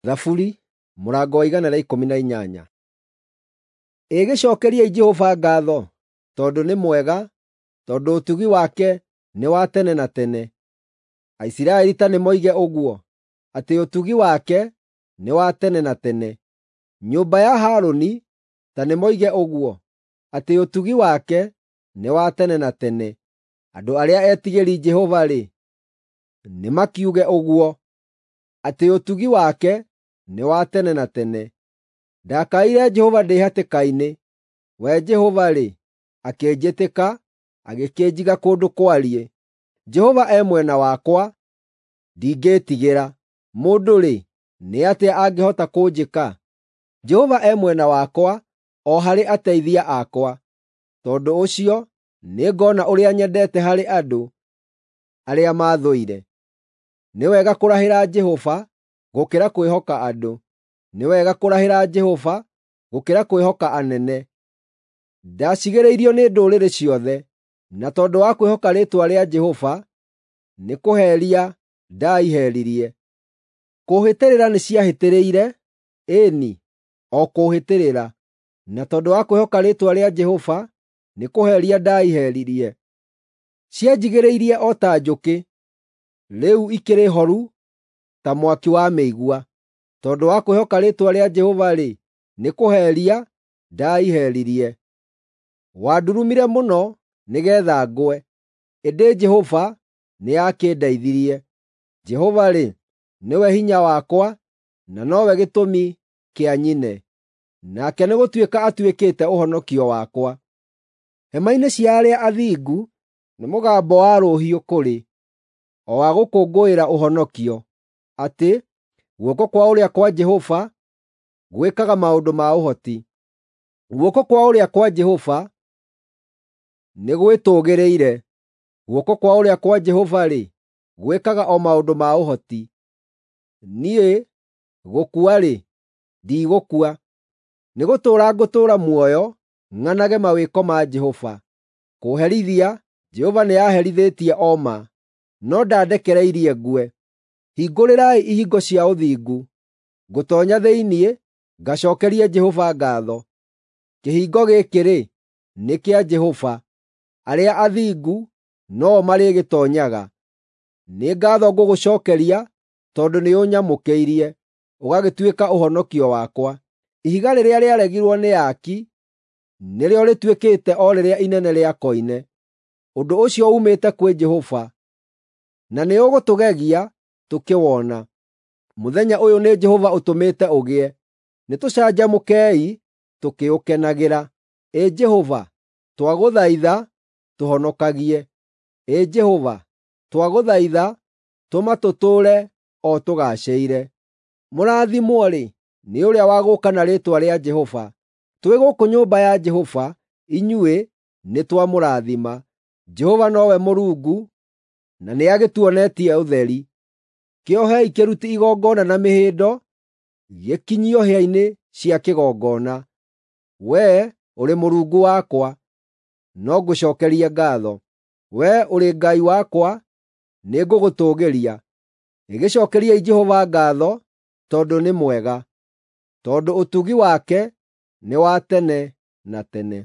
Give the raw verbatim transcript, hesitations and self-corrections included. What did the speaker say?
Thaburi mũrango wa igana rĩa ikũmi na inyanya. Ĩ gĩcookeriei Jehova ngaatho, tondũ nĩ mwega, tondũ ũtugi wake nĩ wa tene na tene. Aisiraeli ta nĩmoige ũguo, atĩ ũtugi wake nĩ wa tene na tene. Nyũmba ya Harũni ta nĩmoige ũguo, atĩ ũtugi wake nĩ wa tene na tene. Andũ arĩa etigĩri Jehova-rĩ, nĩmakiuge ũguo, atĩ ũtugi wake nĩ wa tene na tene. Ndakaĩire Jehova ndĩ hatĩka-inĩ, we Jehova-rĩ, akĩnjĩtĩka, agĩkĩnjiga kũndũ kwariĩ. Jehova e mwena wakwa, ndingĩĩtigĩra. Mũndũ-rĩ, nĩ atĩa angĩhota kũnjĩka? Jehova e mwena wakwa o harĩ ateithia akwa. Tondũ ũcio nĩngona ũrĩa nyendete harĩ andũ arĩa maathũire. Nĩ wega kũrahĩra Jehova gũkĩra kwĩhoka andũ. Nĩ wega kũrahĩra Jehova gũkĩra kwĩhoka anene. Ndacigĩrĩirio nĩ ndũrĩrĩ ciothe, na tondũ wa kwĩhoka rĩĩtwa rĩa Jehova, nĩkũheria ndaiheririe. Kũũhĩtĩrĩra nĩciahĩtĩrĩire, ĩĩ-ni, o kũũhĩtĩrĩra, na tondũ wa kwĩhoka rĩĩtwa rĩa Jehova, nĩkũheria ndaiheririe. Cianjigĩrĩirie o ta njũkĩ, rĩu ikĩrĩ horu ta mwaki wa mĩigua. Tondũ wa kwĩhoka rĩĩtwa rĩa Jehova-rĩ, nĩkũheria ndaiheririe. Wandurumire mũno nĩgeetha ngwe, ĩndĩ Jehova nĩakĩndeithirie. Jehova-rĩ, nĩwe hinya wakwa na nowe gĩtũmi kĩa nyine, nake nĩgũtuĩka atuĩkĩte ũhonokio wakwa. Hema-inĩ cia arĩa athingu nĩ mũgambo wa rũhiũ kũrĩ, o wa gũkũngũĩra ũhonokio, atĩ guoko kwa ũrĩo kwa Jehova gwĩkaga maũndũ ma ũhoti. Guoko kwa ũrĩo kwa Jehova nĩ gwĩtũũgĩrĩire, guoko kwa ũrĩo kwa Jehova-rĩ, gwĩkaga o maũndũ ma ũhoti. Niĩ gũkua-rĩ, ndigũkua, nĩgũtũũra ngũtũũra muoyo ng'anage mawĩko ma Jehova. Kũũherithia Jehova nĩaherithĩtie o ma, no ndandekereirie ngue. Hingũrĩrai ihingo cia ũthingu, ngũtoonya thĩinĩ ngacookerie Jehova ngaatho. Kĩhingo gĩkĩ-rĩ, nĩ kĩa Jehova, arĩa athingu no-o marĩgĩtoonyaga. Nĩ ngaatho ngũgũcookeria tondũ nĩũnyamũkĩirie, ũgagĩtuĩka ũhonokio wakwa. Ihiga rĩrĩa rĩaregirwo nĩ aaki nĩrĩo rĩtuĩkĩte o rĩrĩa inene rĩa koine. Ũndũ ũcio uumĩte kwĩ Jehova, na nĩũgũtũgegia tũkĩwona. Mũthenya ũyũ nĩ Jehova ũtũmĩte ũgĩe, nĩtũcanjamũkei tũkĩũkenagĩra. Ĩ Jehova, twagũthaitha tũhonokagie. Ĩ Jehova, twagũthaitha tũma tũtũũre o tũgaacĩire. Mũrathimwo-rĩ, nĩ ũrĩa wa gũũka na rĩĩtwa rĩa Jehova. Twĩ gũkũ nyũmba ya Jehova, inyuĩ nĩtwamũrathima. Jehova nowe Mũrungu, na nĩagĩtuonetie ũtheri. Kĩohei kĩruti igongona na mĩhĩndo, gĩkinyio hĩa-inĩ cia kĩgongona. Wee ũrĩ Mũrungu wakwa, no ngũcookerie ngaatho. Wee ũrĩ Ngai wakwa, nĩngũgũtũũgĩria. Gĩcookeriei Jehova ngaatho tondũ nĩ mwega, tondũ ũtugi wake nĩ wa tene na tene.